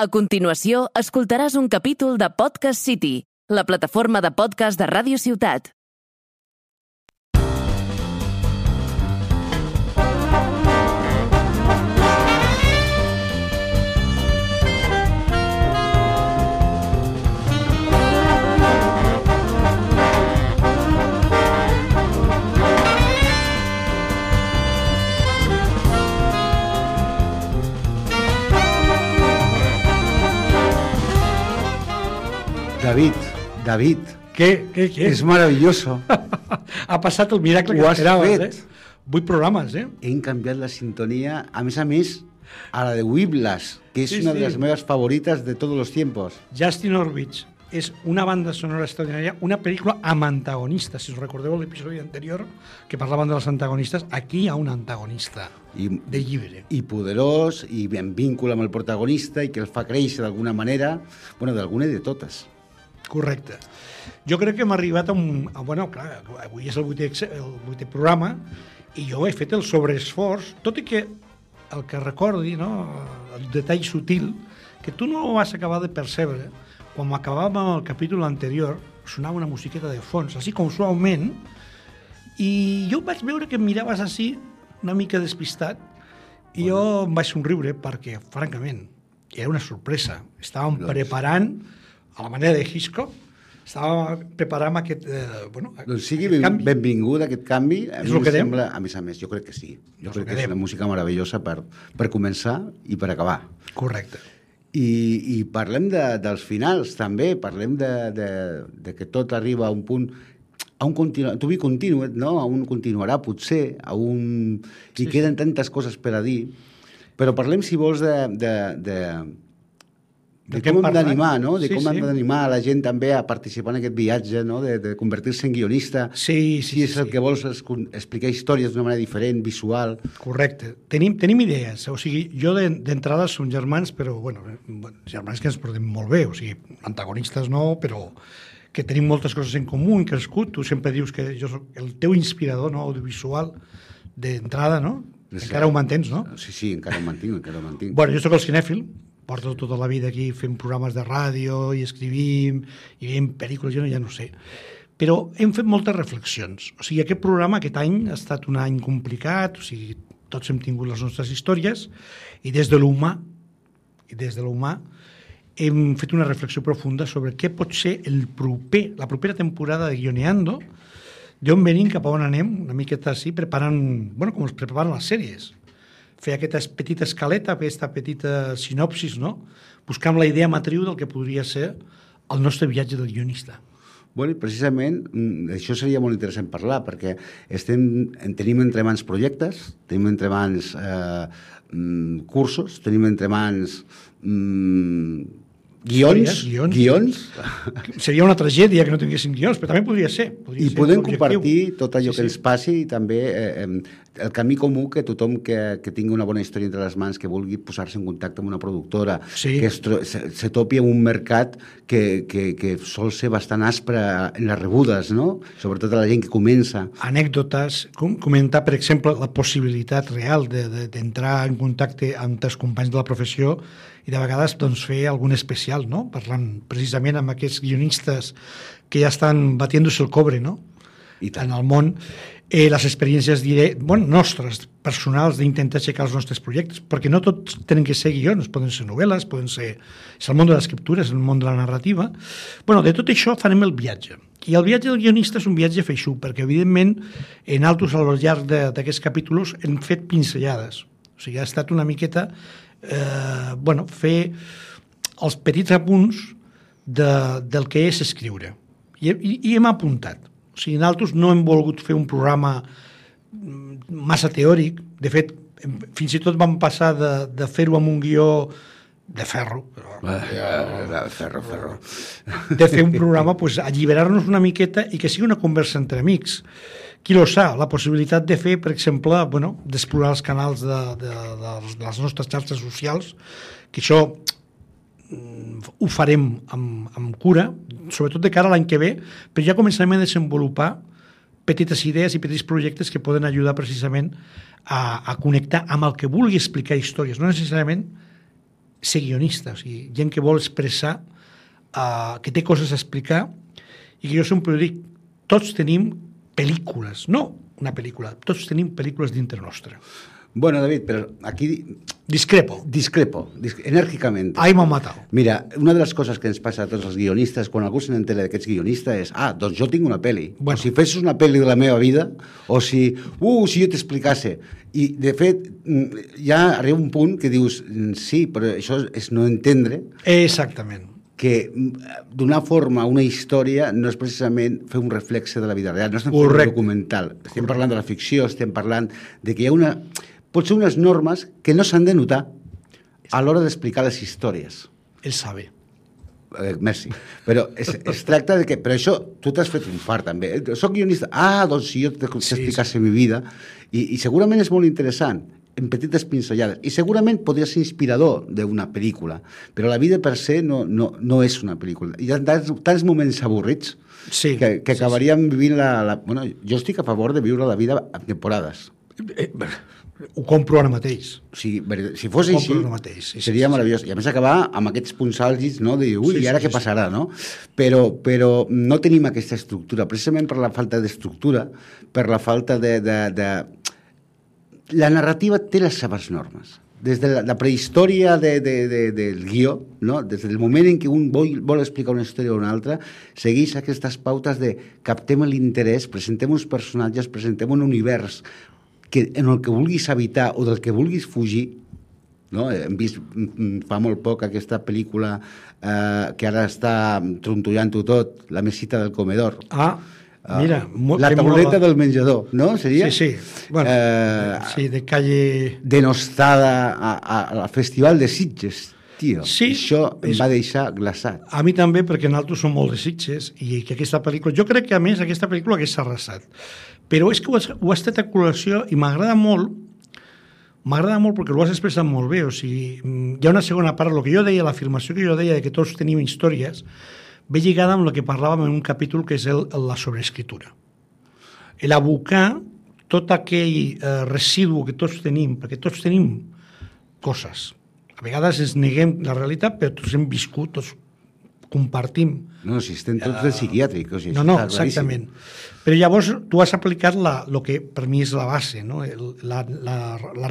A continuació, escoltaràs un capítol de Podcast City, la plataforma de podcast de Ràdio Ciutat. David, ¿Qué? es maravilloso. Ha passat el miracle que Ho has esperaves, fet. 8 programes, Hem canviat la sintonia, a més, a la de Whiplash, que és una de les meves favorites de tots els tiempos. Justin Horwitz és una banda sonora extraordinària, una pel·lícula amb antagonistes. Si us recordeu l'episodi anterior que parlaven de les antagonistes, aquí hi ha un antagonista de llibre. I poderós, i en vínculo amb el protagonista, i que el fa créixer d'alguna manera, bueno, d'alguna i de totes. Correcte. Jo crec que hem arribat a un... Bueno, clar, avui és el vuitè programa i jo he fet el sobreesforç, tot i que el que recordi, no, el detall sutil, que tu no vas acabar de percebre, quan acabàvem el capítol anterior, sonava una musiqueta de fons, així com suaument, i jo vaig veure que em miraves així, una mica despistat, i jo em vaig somriure perquè, francament, era una sorpresa. Estàvem preparant, a la manera de Hitchcock, estàvem preparant aquest... Doncs sigui benvingut aquest canvi. A mi em sembla, a més, jo crec que sí. Jo crec que és una música meravellosa per començar i per acabar. Correcte. I parlem dels finals, també. Parlem de que tot arriba a un punt, a un to be continued, no? A un continuarà, potser, i queden tantes coses per a dir. Però parlem, si vols, de com hem d'animar, no? De com hem d'animar a la gent també a participar en aquest viatge, no? De convertir-se en guionista. Si és el que vols explicar històries d'una manera diferent, visual. Correcte. Tenim idees. O sigui, jo d'entrada som germans, però, germans que ens portem molt bé. O sigui, antagonistes no, però que tenim moltes coses en comú, hem crescut. Tu sempre dius que jo soc el teu inspirador, no?, audiovisual d'entrada, no? Encara ho mantens, no? Sí, encara ho mantinc. Bueno, jo soc el cinèfil, porto tota la vida aquí fent programes de ràdio i escrivim i veiem pel·lícules, jo ja no sé. Però hem fet moltes reflexions. O sigui, aquest programa aquest any ha estat un any complicat, o sigui, tots hem tingut les nostres històries i des de l'humà hem fet una reflexió profunda sobre què pot ser la propera temporada de Guioneando, d'on venim, cap a on anem, una miqueta així, preparant, com es preparen les sèries. Fer aquesta petita escaleta, aquesta petita sinopsis, no? Buscant la idea matriu del que podria ser el nostre viatge del guionista. Bueno, precisament, això seria molt interessant parlar, perquè tenim entre mans projectes, tenim entre mans cursos, tenim entre mans guions. Seria una tragèdia que no tinguéssim guions, però també podria ser. I podem compartir tot allò que ens passi i també el camí comú que tothom que tingui una bona història entre les mans, que vulgui posar-se en contacte amb una productora, que se topi amb un mercat que sol ser bastant aspre en les rebudes, no? Sobretot a la gent que comença. Anècdotes, comentar, per exemple, la possibilitat real d'entrar en contacte amb els companys de la professió i de vegades fer algun especial, no? Parlant precisament amb aquests guionistes que ja estan batiéndose el cobre, no? En el món, les experiències nostres, personals, d'intentar aixecar els nostres projectes, perquè no tots tenen que ser guions, poden ser novel·les, és el món de l'escriptura, és el món de la narrativa. De tot això farem el viatge. I el viatge del guionista és un viatge feixuc, perquè evidentment en altres al llarg d'aquests capítols hem fet pinzellades. O sigui, ha estat una miqueta fer els petits apunts del que és escriure. I hem apuntat. O sigui, nosaltres no hem volgut fer un programa massa teòric. De fet, fins i tot vam passar de fer-ho amb un guió de ferro. De fer un programa, alliberar-nos una miqueta i que sigui una conversa entre amics. Qui lo sap, la possibilitat de fer, per exemple, d'explorar els canals de les nostres xarxes socials, que això ho farem amb cura, sobretot de cara a l'any que ve, però ja començarem a desenvolupar petites idees i petits projectes que poden ajudar precisament a connectar amb el que vulgui explicar històries, no necessàriament ser guionista, o sigui, gent que vol expressar, que té coses a explicar, i que jo sempre dic, tots tenim pel·lícules, no una pel·lícula, tots tenim pel·lícules dintre nostra. Bueno, David, pero aquí... Discrepo, enèrgicament. Ahí m'han matat. Mira, una de les coses que ens passa a tots els guionistes, quan algú se n'entera que ets guionista, és, doncs jo tinc una pel·li. Bueno. O si fessis una pel·li de la meva vida, o si jo t'explicasse. I, de fet, ja arriba un punt que dius, sí, però això és no entendre... Exactament. Que donar forma a una història no és precisament fer un reflexe de la vida real, no estem fent un documental, estem parlant de la ficció, estem parlant de que hi ha potser unes normes que no s'han de notar a l'hora d'explicar les històries. Ell sabe. Merci. Però es tracta de que... Però això, tu t'has fet un fart, també. Soc guionista. Doncs si jo t'explicasse mi vida, i segurament és molt interessant, en petites pinzellades, i segurament podria ser inspirador d'una pel·lícula, però la vida per se no és una pel·lícula. Hi ha tants moments avorrits que acabaríem vivint Bueno, jo estic a favor de viure la vida en temporades. Ho compro ara mateix. Si fos així, seria meravellós. I a més acabar amb aquests punts àlgids, no? De dir, i ara què passarà, no? Però no tenim aquesta estructura, precisament per la falta d'estructura, per la falta de... La narrativa té les seves normes. Des de la prehistòria del guió, no? Des del moment en què un vol explicar una història o una altra, segueix aquestes pautes de captem l'interès, presentem uns personatges, presentem un univers en el que vulguis habitar o del que vulguis fugir, no? Hem vist fa molt poc aquesta pel·lícula que ara està trontollant-ho tot, La mesita del comedor. Mira, la tauleta del menjador, no? Seria? Sí. Bueno, sí, de calle... Denostada al Festival de Sitges, tio. Sí, això em va deixar glaçat. A mi també, perquè nosaltres som molt de Sitges i que aquesta pel·lícula... Jo crec que, a més, aquesta pel·lícula hagués arrasat. Però és que ho has tret a col·lació i m'agrada molt perquè ho has expressat molt bé. O sigui, hi ha una segona part, el que jo deia, l'afirmació que jo deia de que tots tenim històries, ve lligada amb el que parlàvem en un capítol que és la sobreescritura. L'abocar tot aquell residu que tots tenim, perquè tots tenim coses. A vegades ens neguem la realitat, però tots hem viscut, tots compartim. No, si estem tots del psiquiàtric. O sigui, no, exactament. Però llavors tu has aplicat el que per mi és la base, no? la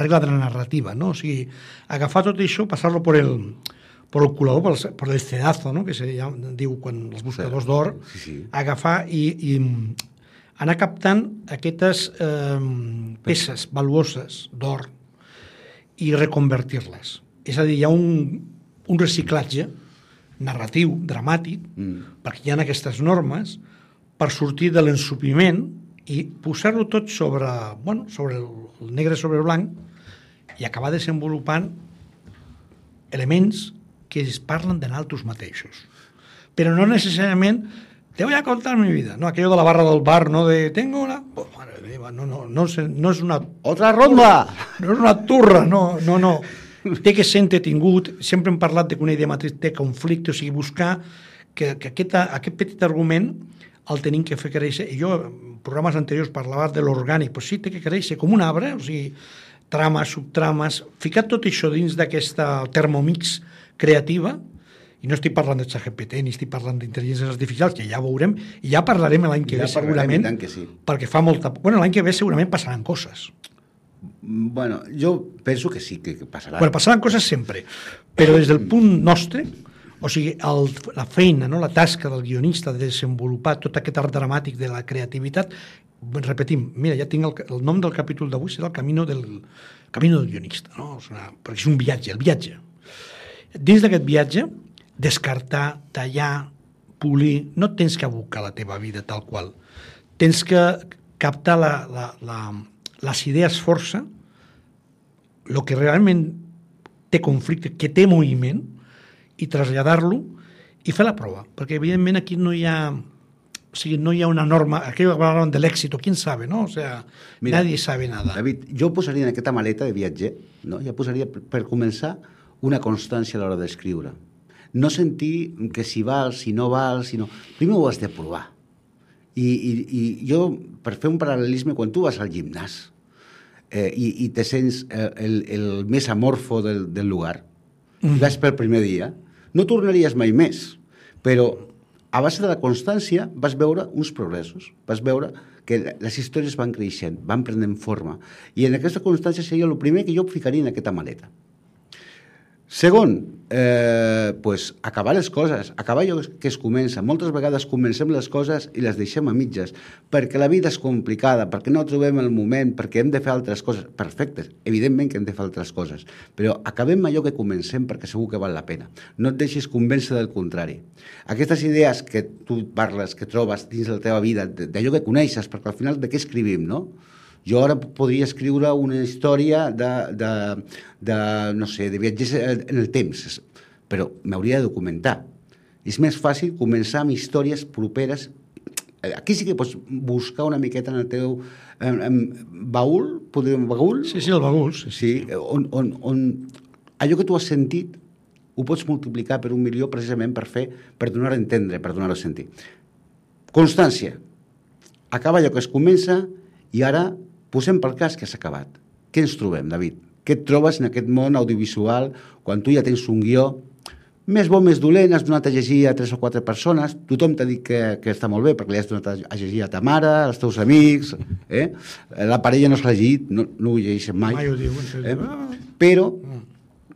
regla de la narrativa. No? O sigui, agafar tot això, passar-lo per el colador, per el cedazo, no? Que se diu quan els buscadors d'or, agafar i anar captant aquestes peces valuoses d'or i reconvertir-les. És a dir, hi ha un reciclatge narratiu, dramàtic, perquè hi ha aquestes normes per sortir de l'ensupiment i posar-lo tot sobre el negre sobre el blanc i acabar desenvolupant elements que es parlen de nosaltres mateixos. Però no necessàriament te voy a contar mi vida, no aquello de la barra del bar, no de tengo una... Oh, madre meva, no és una... Otra ronda! No és una turra, no. Té que ser entretingut, sempre hem parlat de que una idea matriz té conflicte, o sigui, buscar que aquest petit argument el tenim que fer créixer, i jo en programes anteriors parlava de l'orgànic, però sí, té que créixer com un arbre, o sigui, trames, subtrames, ficar tot això dins d'aquesta termomix creativa, i no estic parlant de ChatGPT, ni estic parlant d'intel·ligències artificials, que ja veurem, i ja parlarem l'any que ve segurament, perquè fa molta... Bueno, l'any que ve segurament passaran coses. Bueno, jo penso que sí, que passaran. Bueno, passaran coses sempre, però des del punt nostre, o sigui, la feina, no? La tasca del guionista de desenvolupar tot aquest art dramàtic de la creativitat, repetim, mira, ja tinc el nom del capítol d'avui, serà el camino del guionista, no? O sigui, perquè és un viatge, el viatge. Dins d'aquest viatge, descartar, tallar, polir, no tens que abocar la teva vida tal qual. Tens que captar les idees força, el que realment té conflicte, que té moviment, i traslladar-lo i fer la prova, perquè evidentment aquí no hi ha... O sigui, no hi ha una norma, aquí parlaven de l'èxit, quién sabe, no? O sea, mira, nadie sabe nada. David, jo posaria en aquesta maleta de viatger, no? Ja posaria, per començar, una constància a l'hora d'escriure. No sentir que si val, si no val, si no... Primer ho has de provar. I jo, per fer un paral·lelisme, quan tu vas al gimnàs i te sents el més amorfo del lugar, i vas pel primer dia, no tornaries mai més, però a base de la constància vas veure uns progressos, vas veure que les històries van creixent, van prenent forma, i en aquesta constància seria el primer que jo ficaria en aquesta maleta. Segon, acabar les coses, acabar allò que es comença. Moltes vegades comencem les coses i les deixem a mitges, perquè la vida és complicada, perquè no trobem el moment, perquè hem de fer altres coses. Perfectes, evidentment que hem de fer altres coses, però acabem allò que comencem perquè segur que val la pena. No et deixis convèncer del contrari. Aquestes idees que tu parles, que trobes dins la teva vida, d'allò que coneixes, perquè al final de què escrivim, no? Jo ara podria escriure una història no sé, de viatges en el temps, però m'hauria de documentar. És més fàcil començar amb històries properes. Aquí sí que pots buscar una miqueta en el teu baúl, baúl? Sí, el baúl. Sí, on allò que tu has sentit ho pots multiplicar per 1 milió precisament per donar a entendre, per donar a sentir. Constància. Acaba allò que es comença i ara posem pel cas que s'ha acabat. Què ens trobem, David? Què et trobes en aquest món audiovisual quan tu ja tens un guió més bo, més dolent, has donat a llegir a 3 o 4 persones, tothom t'ha dit que està molt bé perquè li has donat a llegir a ta mare, als teus amics, la parella no s'ha llegit, no ho llegeixen mai. Mai ho diuen. Però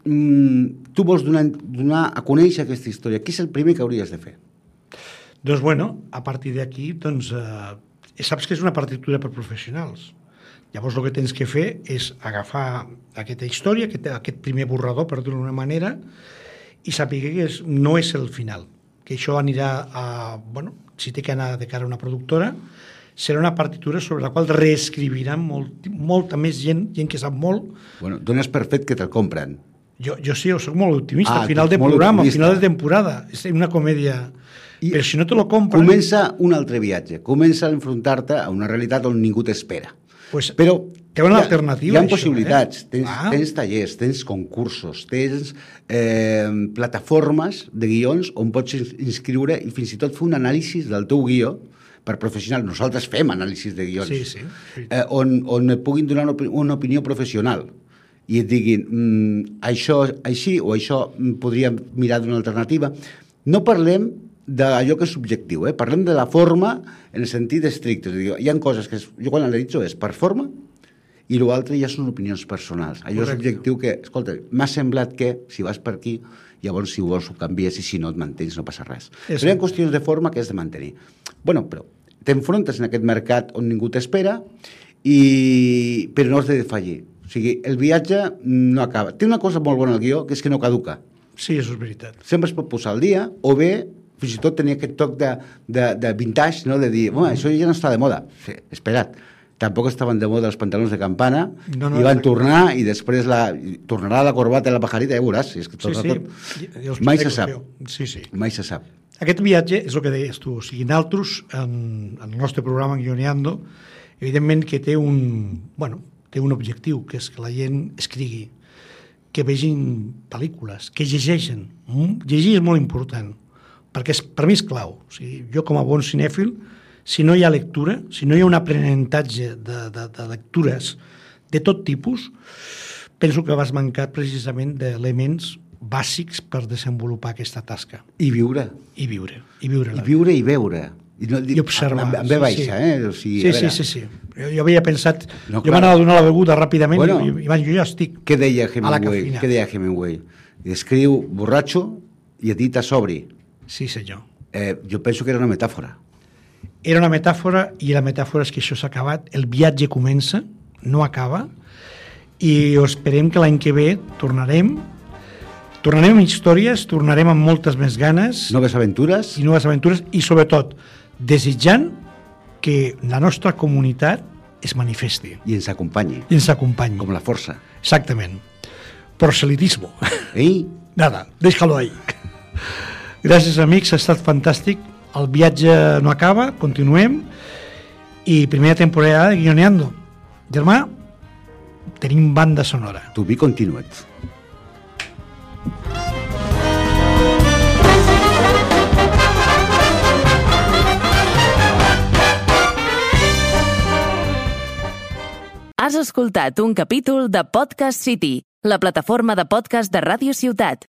tu vols donar a conèixer aquesta història. Què és el primer que hauries de fer? Doncs, bueno, a partir d'aquí, saps que és una partitura per professionals. Llavors el que tens que fer és agafar aquesta història, aquest primer borrador, per dir-ho d'una manera, i saber que no és el final, que això anirà si té que anar de cara a una productora, serà una partitura sobre la qual reescriviran molta més gent que sap molt. Bueno, dones per fet que te'l compren. Jo sí, soc molt optimista, al final de programa, al final de temporada, és una comèdia. Però si no te lo compren... Comença un altre viatge, comença a enfrontar-te a una realitat on ningú t'espera. Però té una alternativa. Hi ha possibilitats, tens tallers, tens concursos, tens plataformes de guions on pots inscriure i fins i tot fer un anàlisi del teu guió per professional. Nosaltres fem anàlisis de guions. Sí. On et puguin donar una opinió professional i et diguin això així o això podríem mirar d'una alternativa. No parlem d'allò que és subjectiu, parlem de la forma en el sentit estricte. Hi ha coses que jo quan analitzo és per forma i l'altre ja són opinions personals. Allò és subjectiu que, escolta, m'ha semblat que si vas per aquí, llavors si ho vols ho canvies i si no et mantens no passa res. Però hi ha qüestions de forma que has de mantenir. Bueno, però t'enfrontes en aquest mercat on ningú t'espera però no has de defallir. O sigui, el viatge no acaba. Té una cosa molt bona al guió, que és que no caduca. Sí, això és veritat. Sempre es pot posar al dia o bé fins i tot tenia aquest toc de vintage, no? De dir, això ja no està de moda. Sí, espera't, tampoc estaven de moda els pantalons de campana, i van tornar, i després tornarà la corbata i la pajarita, ja veuràs. És que tot. Mai se sap. Mai se sap. Aquest viatge és el que deies tu. O sigui, nosaltres, en el nostre programa Guioneando, evidentment que té un objectiu, que és que la gent escrigui, que vegin pel·lícules, que llegeixen. Llegir és molt important, perquè per mi és clau. O sigui, jo com a bon cinèfil, si no hi ha lectura, si no hi ha un aprenentatge de lectures de tot tipus, penso que vas mancar precisament d'elements bàsics per desenvolupar aquesta tasca. I viure. I viure i veure. I observar. Amb ve baixa, O sigui, sí. Jo havia pensat... Jo m'anava a donar la beguda ràpidament i jo ja estic a la cafeïna. Què deia Hemingway? Escriu borratxo i edita sobri. Sí, senyor. Jo penso que era una metàfora. Era una metàfora i la metàfora és que això s'ha acabat. El viatge comença, no acaba, i esperem que l'any que ve tornarem amb històries, tornarem amb moltes més ganes. Noves aventures. I sobretot desitjant que la nostra comunitat es manifesti. I ens acompanyi. Com la força. Exactament. Proselitismo. Ei? Nada, déjalo ahí. Gràcies, amics, ha estat fantàstic. El viatge no acaba, continuem. I primera temporada de Guioneando. Germà, tenim banda sonora. To be continued. Has escoltat un capítol de Podcast City, la plataforma de podcast de Ràdio Ciutat.